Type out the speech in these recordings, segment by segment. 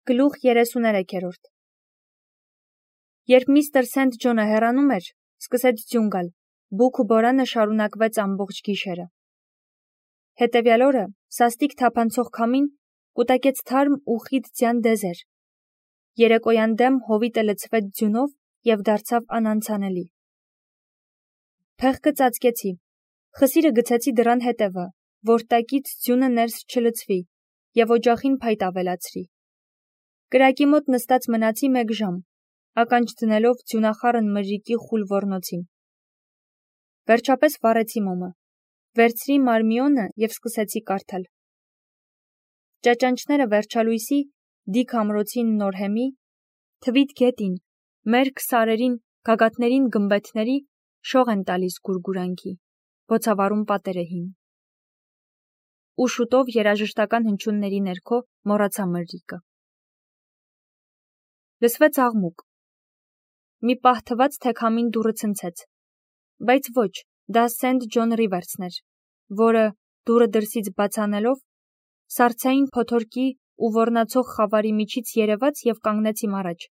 Գլուխ 33 Երբ միստր Սենթ Ջոնը հեռանում էր, սկսեց ձյուն գալ, բուք ու բորանը շարունակվեց ամբողջ գիշերը։ Հետևյալ օրը սաստիկ թափանցող քամին կուտակեց թարմ ու խիտ ձյան դեզեր։ Երեկոյան դեմ հովիտը լցվեց ձյունով և դարձավ անանցանելի։ Փեղկը ծածկեցի, խսիրը գցեցի դռան հետևը, որ տակից ձյունը ներս չլցվի և օջախին փայտ ավելացրի։ Կրակի մոտ նստած մնացի 1 ժամ, ականջ դնելով ձյունախառն մրրիկի խուլ ոռնոցին։ Վերջապես վառեցի մոմը, վերցրի մարմիոնը և սկսեցի կարդալ։ Ճաճանճները վերջալույսի, դիք ամրոցին նորհեմի, թվիթ գետին, մերկ սարերին, գագաթներին գմբեթների շող են տալիս գուրգուրանքի, բոցավառում պատերը հին։ Ու շուտով երաժշտական հնչյունների ներքո մոռացա մրրիկը։ Լսվեց աղմուկ։ Մի պահ թվաց, թե քամին դուռը ցնցեց, բայց ոչ, դա Սենթ Ջոն Ռիվերսն էր, որը, դուռը դրսից բաց անելով, սառցային փոթորկի ու ոռնացող խավարի միջից երևաց և կանգնեց իմ առաջ։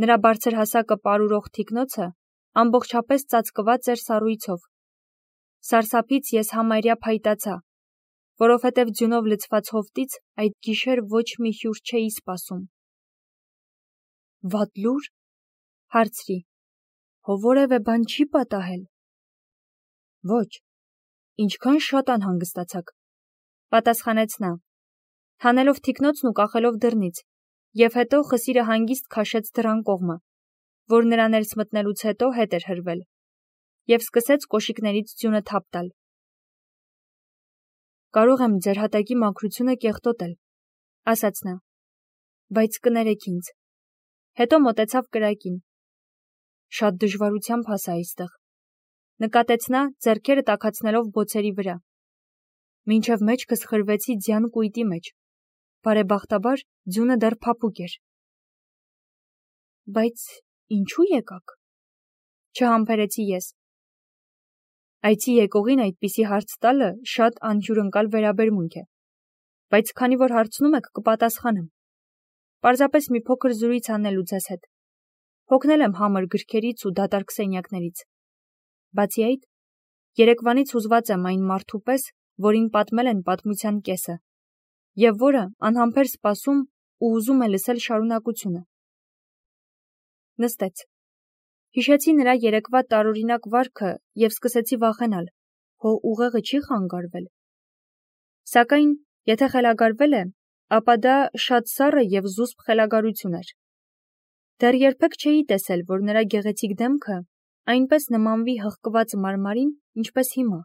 Նրա բարձրհասակը պարուրող թիկնոցը ամբողջապես ծածկված էր սառույցով։ Սարսափից ես համարյա փայտացա, որովհետև ձյունով լցված հովտից այդ գիշեր ոչ մի հյուր չէի սպասում։ Վատ լուր, հարցրի, հո որևէ բան չի պատահել։ Ոչ, ինչքան շատ անհանգստացաք, պատասխանեց նա, հանելով թիկնոցն ու կախելով դռնից, և հետո խսիրը հանգիստ քաշեց դռան կողմը, որ նրա ներս մտնելուց հետո հետ էր հրվել, և սկսեց կոշիկներից ձյունը թափ տալ։ Կարող եմ ձեր հատակի մաքրությունը կեղտոտել, ասաց նա, բայց կներեք ինձ։ Հետո մոտեցավ կրակին։ Շատ դժվարությամբ հասա այստեղ, նկատեց նա, ձեռքերը տաքացնելով բոցերի վրա։ Մինչև մեջքս խրվեցի ձյան կույտի մեջ, բարեբախտաբար ձյունը դեռ փափուկ էր։ Բայց ինչու եկաք, չհամբերեցի ես։ Այցի եկողին այդպիսի հարց տալը շատ անհյուրընկալ վերաբերմունք է, բայց քանի որ հարցնում եք, կպատասխանեմ։ Պարզապես մի փոքր զրույց անելու ձեզ հետ։ Հոգնել եմ համր գրքերից ու դատարկ սենյակներից։ Բացի այդ, երեկվանից հուզված եմ այն մարդու պես, որին պատմել են պատմության կեսը, և որը անհամբեր սպասում ու ուզում է լսել շարունակությունը։ Նստեց։ Հիշեցի նրա երեկվա տարօրինակ վարքը և սկսեցի վախենալ, հո ուղեղը չի խանգարվել։ Սակայն, եթե խելագարվել է, ապա դա շատ սառը և զուսպ խելագարություն էր։ Դեռ երբեք չէի տեսել, որ նրա գեղեցիկ դեմքը այնպես նմանվի հղկված մարմարին, ինչպես հիմա։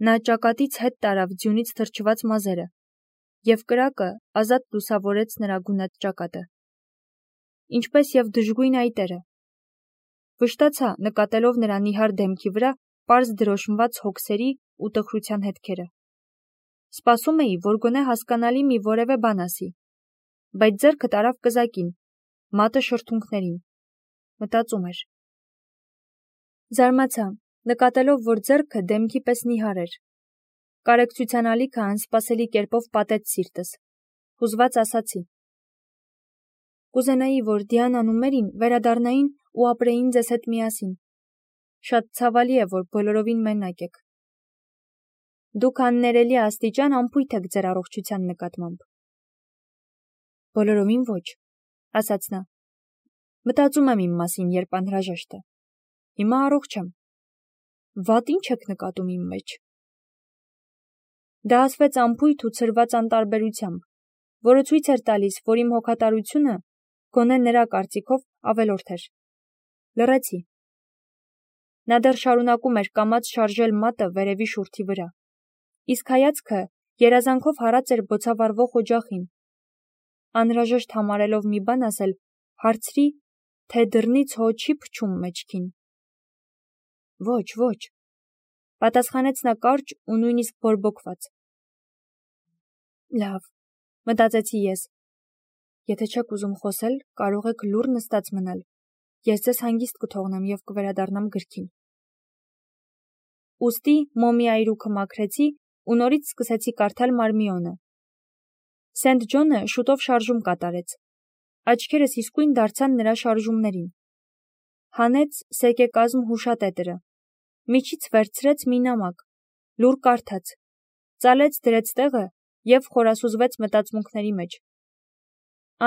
Նա ճակատից հետ տարավ ձյունից թրջված մազերը, և կրակը ազատ լուսավորեց նրա գունատ ճակատը, ինչպես և դժգույն այտերը։ Վշտացա, նկատելով նրա նիհար դեմքի վրա պարզ դրոշմված հոգսերի ու տխրության հետքերը։ Սպասում էի, որ գոնե հասկանալի մի որևէ բան ասի, բայց ձեռքը տարավ կզակին, մատը շրթունքներին, մտածում էր։ Զարմացա, նկատելով, որ ձեռքը դեմքի պես նիհար էր։ Կարեկցության ալիքը անսպասելի կերպով պատեց սիրտս։ Հուզված ասացի. Կուզենայի, որ Դիանան ու Մերին վերադառնային ու ապրեին ձեզ հետ միասին։ Շատ ցավալի է, որ բոլորովին մենակ եք։ Դուք աններելի աստիճան անփույթ եք ձեր առողջության նկատմամբ։ Բոլորովին ոչ, ասաց նա։ Մտածում եմ իմ մասին, երբ անհրաժեշտ է։ Հիմա առողջ եմ։ Վատ ինչ եք նկատում իմ մեջ։ Դա ասվեց անփույթ ու ցրված անտարբերությամբ, որը ցույց էր տալիս, որ իմ հոգատարությունը, գոնե նրա կարծիքով, ավելորդ էր։ Լռեցի։ Նա դեռ շարունակում էր կամաց շարժել մատը վերևի շուրթի վրա, իսկ հայացքը երազանքով հառած էր բոցավառվող օջախին։ Անհրաժեշտ համարելով մի բան ասել, հարցրի, թե դռնից հո չի փչում մեջքին։ Ոչ, ոչ, պատասխանեց նա կարճ ու նույնիսկ բորբոքված։ Լավ, մտածեցի ես։ Եթե չեք ուզում խոսել, կարող եք լուռ նստած մնալ։ Ես ձեզ հանգիստ կթողնեմ և կվերադառնամ գրքին։ Ուստի մոմի այրուքը մաքրեցի ու նորից սկսեցի կարդալ մարմիոնը։ Սենթ Ջոնը շուտով շարժում կատարեց։ Աչքերս իսկույն դարձան նրա շարժումներին։ Հանեց սեկեկազմ հուշատետրը, միջից վերցրեց մի նամակ, լուր կարդաց, ծալեց դրեց տեղը և խորասուզվեց մտածմունքների մեջ։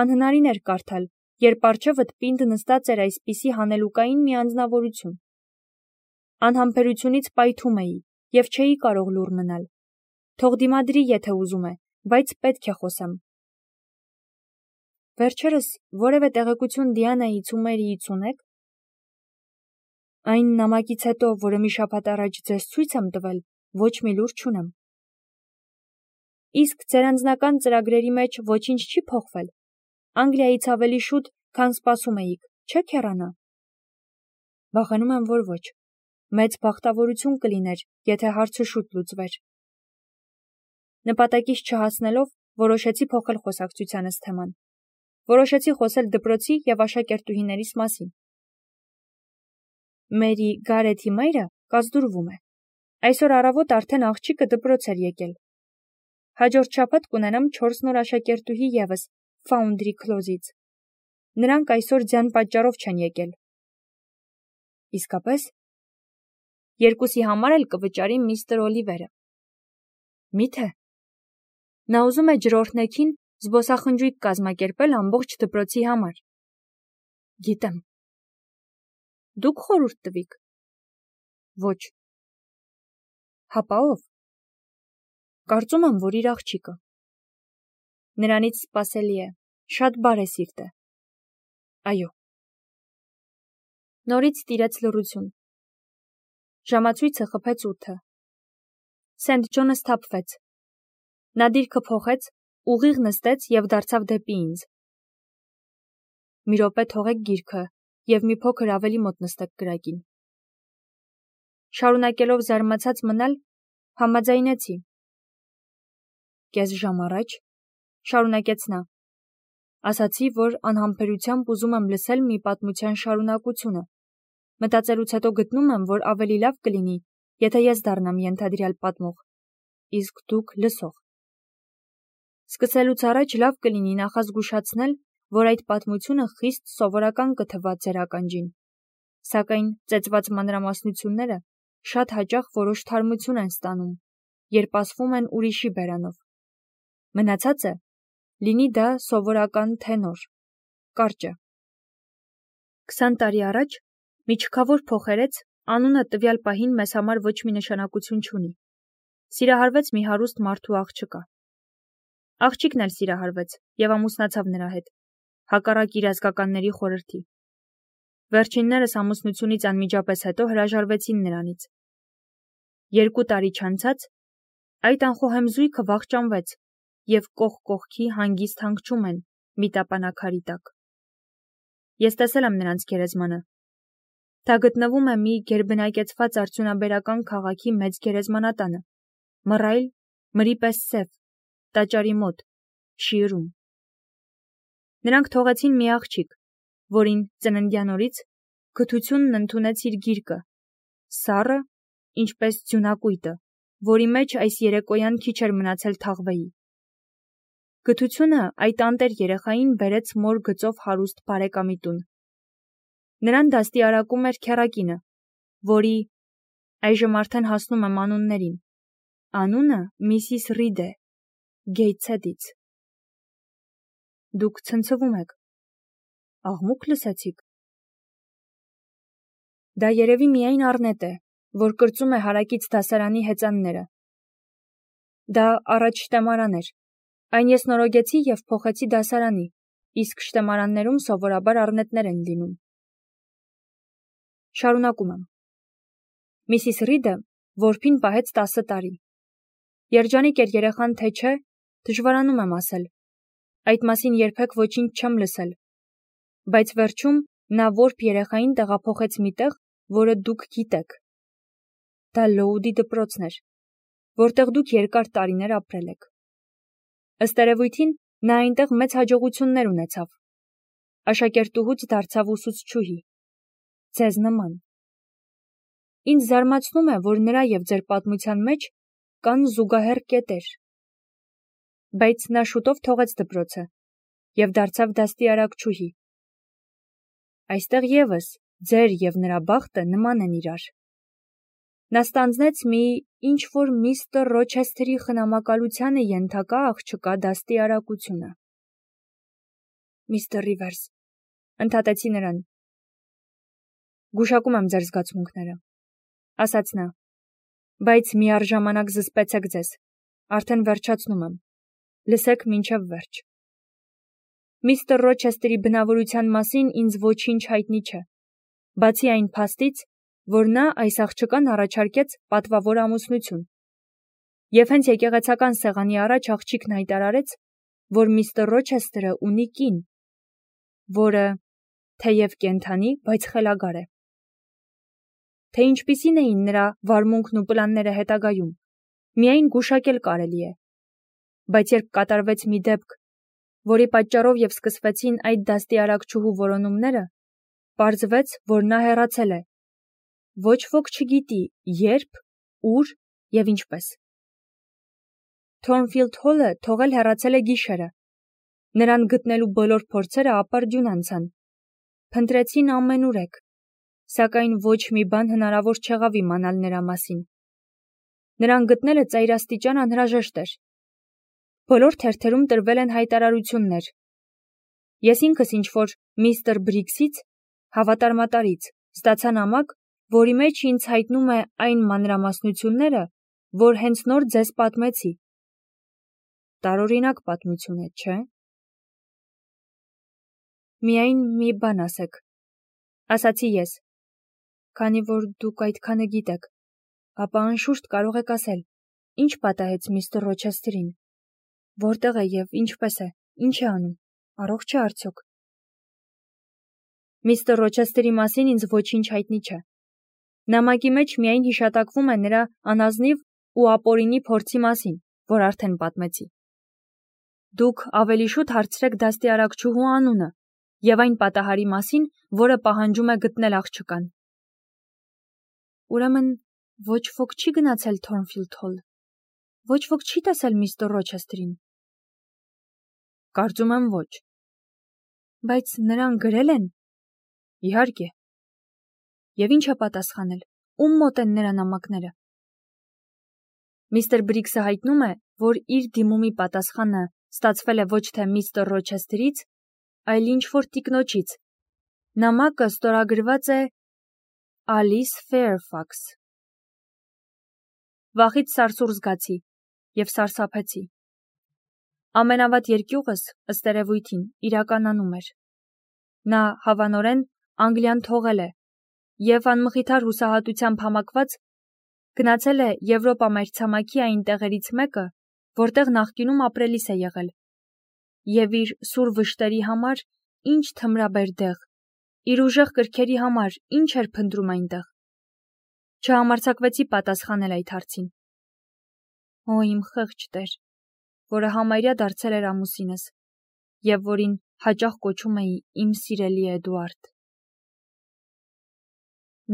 Անհնարին էր կարդալ, երբ առջևդ պինդ նստած էր այսպիսի հանելուկային մի անձնավորություն։ Անհամբերությունից պայթում էի և չէի կարող լուռ մնալ։ Թող դիմադրի, եթե ուզում է, բայց պետք է խոսեմ։ Վերջերս որևէ տեղեկություն Դիանայից ու Մերիից ունեք։ Այն նամակից հետո, որը մի շաբաթ առաջ ձեզ ցույց եմ տվել, ոչ մի լուր չունեմ։ Իսկ ձեր անձնական ծրագրերի մեջ ոչինչ չի փոխվել։ Անգլիայից ավելի շուտ, քան սպասում էիք, չեք հեռանա։ Վախենում եմ, որ ոչ։ Մեծ բախտավորություն կլիներ, եթե հարցը շուտ լուծվեր։ Նպատակից չհասնելով, որոշեցի փոխել խոսակցությանս թեման։ Որոշեցի խոսել դպրոցի և աշակերտուհիներիս մասին։ Մերի Գարեթի մայրը կազդուրվում է։ Այսօր առավոտ արդեն աղջիկը դպրոց էր եկել։ Հաջորդ շաբաթ կունենամ 4 նոր աշակերտուհի ևս Foundry Close-ից։ Նրանք այսօր ձյան պատճառով չեն եկել։ Իսկապես։ Երկուսի համար էլ կվճարի միստր Օլիվերը։ Միթե։ Նա ուզում է ջրօրհնեքին զբոսախնջույք կազմակերպել ամբողջ դպրոցի համար։ Գիտեմ։ Դուք խորհուրդ տվիք։ Ոչ։ Հապա ով։ Կարծում եմ, որ իր աղջիկը։ Նրանից սպասելի է, շատ բարեսիրտ է։ Այո։ Նորից տիրեց լռություն։ Ժամացույցը խփեց 8-ը։ Սենթ Ջոնը սթափվեց։ Նա դիրքը փոխեց, ուղիղ նստեց և դարձավ դեպի ինձ։ Մի րոպե թողեք գիրքը և մի փոքր ավելի մոտ նստեք կրակին։ Շարունակելով զարմացած մնալ, համաձայնեցի։ Կես ժամ առաջ, շարունակեց նա, ասացի, որ անհամբերությամբ ուզում եմ լսել մի պատմության շարունակությունը։ Մտածելուց հետո գտնում եմ, որ ավելի լավ կլինի, եթե ես դառնամ ենթադրյալ պատմող, իսկ դուք լսող։ Սկսելուց առաջ լավ կլինի նախազգուշացնել, որ այդ պատմությունը խիստ սովորական կթվա ձեր ականջին, սակայն ծեծված մանրամասնությունները շատ հաճախ որոշ թարմություն են ստանում, երբ ասվում են ուրիշի բերանով։ Մնացածը լինի դա սովորական թե նոր, կարճը։ 20 տարի առաջ մի չքավոր փոխերեց անունը տվյալ պահին մեզ համար ոչ մի նշանակություն չունի։ Սիրահարվեց մի հարուստ մարդու աղջկա։ Աղջիկն էլ սիրահարվեց և ամուսնացավ նրա հետ, հակառակ իր ազգականների խորհրդի։ Վերջիններս ամուսնությունից անմիջապես հետո հրաժարվեցին նրանից։ 2 տարի չանցած այդ անխոհեմ զույգը վախճանվեց և կողք կողքի հանգիստ հանգչում են մի տապանաքարի տակ։ Ես տեսել եմ նրանց գերեզմանը։ Դա գտնվում է մի գերբնակեցված արդյունաբերական քաղաքի մեծ գերեզմանատանը, մռայլ, մրի պես սև, տաճարի մոտ, Շիըրում։ Նրանք թողեցին մի աղջիկ, որին ծննդյան օրից գթությունն ընդունեց իր գիրկը, սառը, ինչպես ձյունակույտը, որի մեջ այս երեկոյան քիչ էր մնացել թաղվեի։ Գթությունը այդ անտեր երեխային բերեց մոր գծով հարուստ բարեկամի տուն։ Նրան դաստիարակում էր քեռակինը, որի այժմ արդեն հասնում եմ անուններին։ Անունը Միսիս Ռիդ է, Գեյթսեդից։ Դուք ցնցվում եք։ Աղմուկ լսեցիք։ Դա երևի միայն Առնետ է, որ կրծում է հարակից դասարանի հեծանները։ Դա առաջ շտեմարան էր։ Այն ես նորոգեցի և փոխեցի դասարանի, իսկ շտեմարաններում սովորաբար առնետներ են լինում։ Շարունակում եմ։ Միսիս Ռիդը որբին պահեց 10 տարի։ Երջանիկ էր երեխան, թե չէ, դժվարանում եմ ասել։ Այդ մասին երբեք ոչինչ չեմ լսել։ Բայց վերջում նա որբ երեխային տեղափոխեց մի տեղ, որը դուք գիտեք։ Դա Լոուդի դպրոցն էր, որտեղ դուք երկար տարիներ ապրել եք։ Ըստ երևույթին, նա այնտեղ մեծ հաջողություններ ունեցավ։ Աշակերտուհուց դարձավ ուսուցչուհի։ Ձեզ նման։ Ինձ զարմացնում է, որ նրա և ձեր պատմության մեջ կան զուգահեռ կետեր։ բայց նա շուտով թողեց դպրոցը և դարձավ դաստի արակչուհի։ Այստեղ ևս ձեր և նրա բախտը նման են իրար։ Նա ստանձնեց մի ինչ-որ միստր Ռոչեսթերի խնամակալությանը ենթակա աղջկա դաստի արակությունը։ Միստր Ռիվերս, ընդհատեցի նրան։ Գուշակում եմ ձեր զգացմունքները, ասաց նա, բայց միառժամանակ զսպեցեք ձեզ, արդեն վերջացնում եմ, լսեք մինչև վերջ։ Միստր Ռոչեսթերի բնավորության մասին ինձ ոչինչ հայտնի չէ, բացի այն փաստից, որ նա այս աղջկան առաջարկեց պատվավոր ամուսնություն, և հենց եկեղեցական սեղանի առաջ աղջիկն հայտարարեց, որ միստր Ռոչեսթերը ունի կին, որը թեև կենդանի, բայց խելագար է։ Թե ինչպիսին էին նրա վարմունքն ու պլանները հետագայում, միայն գուշակել կարելի է, բայց երբ կատարվեց մի դեպք, որի պատճառով և սկսվեցին այդ դաստի արակչուհու որոնումները, պարզվեց, որ նա հեռացել է։ Ոչ ոք չգիտի երբ, ուր և ինչպես։ Թորնֆիլդ Հոլը թողել հեռացել է գիշերը։ Նրան գտնելու բոլոր փորձերը ապարդյուն անցան։ Փնտրեցին ամենուրեք, սակայն ոչ մի բան հնարավոր չեղավ իմանալ նրա մասին։ Նրան գտնելը ծայրաստիճան անհրաժեշտ էր։ Բոլոր թերթերում տրվել են հայտարարություններ։ Ես ինքս ինչ-որ միստր Բրիքսից, հավատարմատարից, ստացա նամակ, որի մեջ ինձ հայտնում է այն մանրամասնությունները, որ հենց նոր ձեզ պատմեցի։ Տարօրինակ պատմություն է, չէ՞։ Միայն մի բան ասեք, ասացի ես, քանի որ դուք այդքանը գիտեք, ապա անշուշտ կարող եք ասել, ինչ պատահեց միստր Ռոչեսթերին, որտեղ է և ինչպես է, ինչ է անում, առողջ է արդյոք։ Միստր Ռոչեսթերի մասին ինձ ոչինչ հայտնի չէ։ Նամակի մեջ միայն հիշատակվում է նրա անազնիվ ու ապօրինի փորձի մասին, որ արդեն պատմեցի։ Դուք ավելի շուտ հարցրեք դաստի արակչուհու անունը և այն պատահարի մասին, որը պահանջում է գտնել աղջկան։ Ուրեմն ոչ ոք չի գնացել Թորնֆիլդ Հոլ, ոչ ոք չի տեսել միստր Ռոչեսթերին։ Կարծում եմ ոչ։ Բայց նրան գրել են։ Իհարկե։ Եվ ինչ է պատասխանել, ում մոտ են նրա նամակները։ Միստր Բրիքսը հայտնում է, որ իր դիմումի պատասխանը ստացվել է ոչ թե միստր Ռոչեսթերից, այլ ինչ-որ տիկնոջից։ Նամակը ստորագրված է Ալիս Ֆեյրֆաքս։ Վախից սարսուռ զգացի և սարսափեցի։ Ամենավատ երկյուղս, ըստ երևույթին, իրականանում էր։ Նա հավանորեն Անգլիան թողել է և անմխիթար հուսահատությամբ համակված գնացել է Եվրոպա մայրցամաքի այն տեղերից մեկը, որտեղ նախկինում ապրելիս է եղել, և իր սուր վշտերի համար ինչ թմրաբեր դեղ, իր ուժեղ կրքերի համար ինչ էր փնտրում այնտեղ։ Չհամարձակվեցի պատասխանել այդ հարցին։ Օ, իմ խեղճ Տեր, որը համարյա դարձել էր ամուսինս, և որին հաճախ կոչում էի իմ սիրելի Էդուարդ։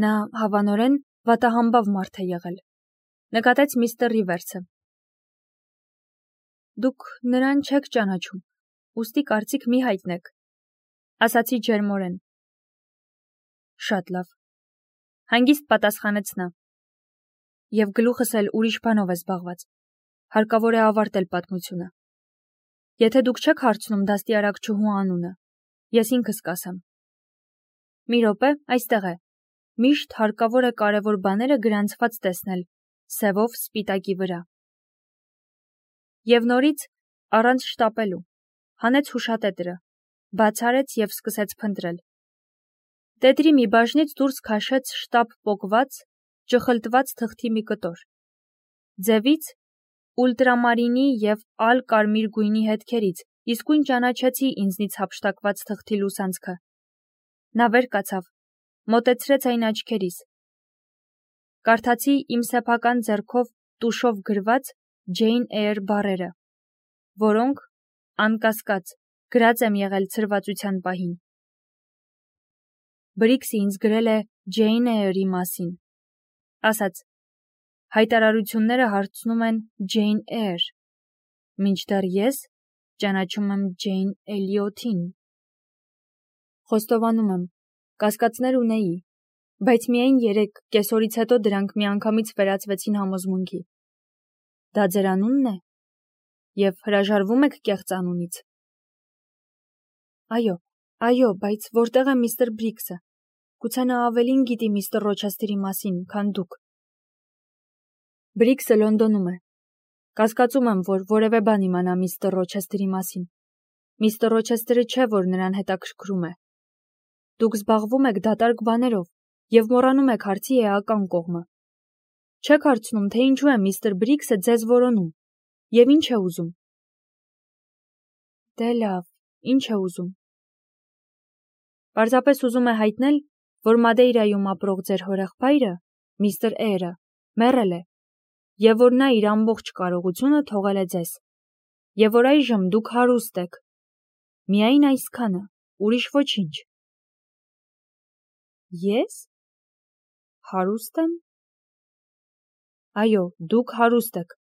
Նա հավանորեն վատահամբավ մարդ է եղել, նկատեց միստր Ռիվերսը։ Դուք նրան չեք ճանաչում, ուստի կարծիք մի հայտնեք, ասացի ջերմորեն։ Շատ լավ, հանգիստ պատասխանեց նա։ Եվ գլուխս էլ ուրիշ բանով է զբաղված, հարկավոր է ավարտել պատմությունը։ Եթե դուք չեք հարցնում դաստի արակչուհու անունը, ես ինքս կասեմ։ Մի րոպե, այստեղ է։ Միշտ հարկավոր է կարևոր բաները գրանցված տեսնել, սևով սպիտակի վրա։ Եվ նորից, առանց շտապելու, հանեց հուշատետրը, բաց արեց և սկսեց փնտրել։ Տետրի մի բաժնից դուրս քաշեց շտապ պոկված, ճխլտված թղթի մի կտոր։ Ձևից ուլտրամարինի և ալ-կարմիր գույնի հետքերից իսկույն ճանաչեցի ինձնից հափշտակված թղթի լուսանցքը։ Նա վեր կացավ, մոտեցրեց այն աչքերիս։ Կարդացի իմ սեփական ձեռքով տուշով գրված Ջեյն Էյր բառերը, որոնք, անկասկած, գրած եմ եղել ցրվածության պահին։ Բրիքսը ինձ գրել է Ջեյն Էյրի մասին, ասաց, հայտարարությունները հարցնում են Ջեյն Էյր, մինչդեռ ես ճանաչում եմ Ջեյն Էլիոթին։ Խոստովանում եմ, կասկածներ ունեի, բայց միայն 3 կեսօրից հետո դրանք միանգամից վերածվեցին համոզմունքի։ Դա ձեր անունն է։ Եվ հրաժարվում եք կեղծ անունից։ Այո, բայց որտեղ է միստր Բրիքսը։ Գուցե նա ավելին գիտի միստր Ռոչեսթերի մասին, քան դուք։ Բրիքսը Լոնդոնում է։ Կասկածում եմ, որ որևէ բան իմանա միստր Ռոչեսթերի մասին։ Միստր Ռոչեսթերը չէ, որ նրան հետաքրքրում է։ Դուք զբաղվում եք դատարկ բաներով և մոռանում եք հարցի էական կողմը։ Չեք հարցնում, թե ինչու է միստր Բրիքսը ձեզ որոնում և ինչ է ուզում։ Դե լավ, ինչ է ուզում։ Պարզապես ուզում է հայտնել, որ Մադեյրայում ապրող ձեր հորեղբայրը, միստր Էյրը, մեռել է, և որ նա իր ամբողջ կարողությունը թողել է ձեզ, և որ այժմ դուք հարուստ եք։ Միայն այսքանը, ուրիշ ոչինչ։ Ես։ Հարուստ եմ։ Այո, դուք հարուստ եք,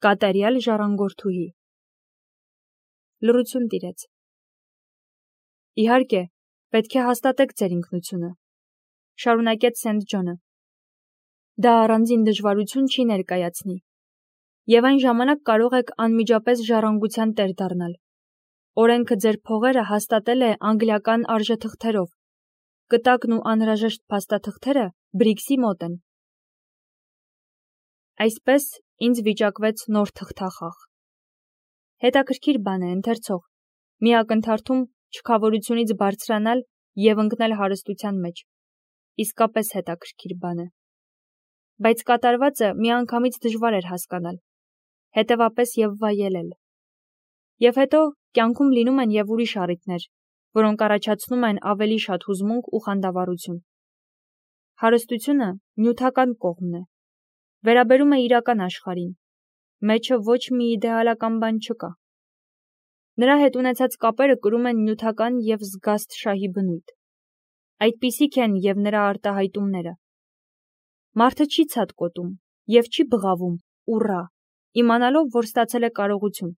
կատարյալ ժառանգորդուհի։ Լռություն տիրեց։ Իհարկե, պետք է հաստատեք ձեր ինքնությունը, շարունակեց Սենթ Ջոնը։ Դա առանձին դժվարություն չի ներկայացնի, և այն ժամանակ կարող եք անմիջապես ժառանգության տեր դառնալ։ Օրենքը ձեր փողերը հաստատել է անգլիական արժեթղթերով, կտակն ու անհրաժեշտ փաստաթղթերը Բրիքսի մոտ են։ Այսպես ինձ վիճակվեց նոր թղթախաղ։ Հետաքրքիր բան է, ընթերցող, մի ակնթարթում չքավորությունից բարձրանալ և ընկնել հարստության մեջ։ Իսկապես հետաքրքիր բան է։ Բայց կատարվածը միանգամից դժվար էր հասկանալ, հետևապես և վայելել։ Եվ հետո կյանքում լինում են և ուրիշ առիթներ, որոնք առաջացնում են ավելի շատ հուզմունք ու խանդավառություն։ Հարստությունը նյութական կողմն է, վերաբերում է իրական աշխարհին, մեջը ոչ մի իդեալական բան չկա։ Նրա հետ ունեցած կապերը կրում են նյութական և զգաստ շահի բնույթ։ Այդպիսիք են և նրա արտահայտումները։ Մարդը չի ցատկոտում և չի բղավում, ուռա, իմանալով, որ ստացել է կարողություն։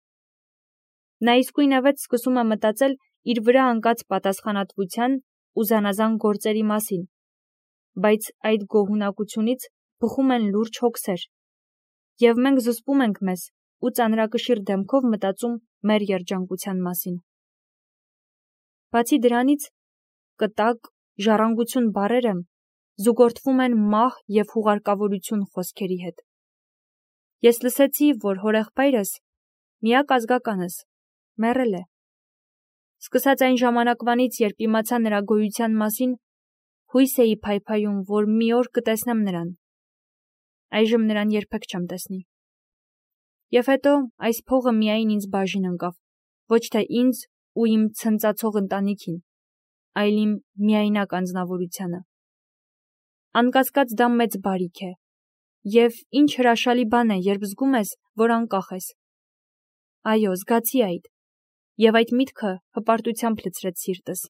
Նա իսկույնևեթ սկսում է մտածել իր վրա ընկած պատասխանատվության ու զանազան գործերի մասին, բայց այդ գոհունակությունից բխում են լուրջ հոգսեր, և մենք զսպում ենք մեզ ու ծանրակշիռ դեմքով մտածում մեր երջանկության մասին։ Բացի դրանից, կտակ, ժառանգություն բառերը զուգորդվում են մահ և հուղարկավորություն խոսքերի հետ։ Ես լսեցի, որ հորեղբայրս, միակ ազգականս, մեռել է։ Սկսած այն ժամանակվանից, երբ իմացա նրա գոյության մասին, հույս էի փայփայում, որ մի օր կտեսնեմ նրան։ Այժմ նրան երբեք չեմ տեսնի։ Եվ հետո այս փողը միայն ինձ բաժին ընկավ, ոչ թե ինձ ու իմ ցնծացող ընտանիքին, այլ իմ միայնակ անձնավորությանը։ Անկասկած դա մեծ բարիք է, և ինչ հրաշալի բան է, երբ զգում ես, որ անկախ ես։ Այո, զգացի այդ, և այդ միտքը հպարտությամբ լցրեց սիրտս։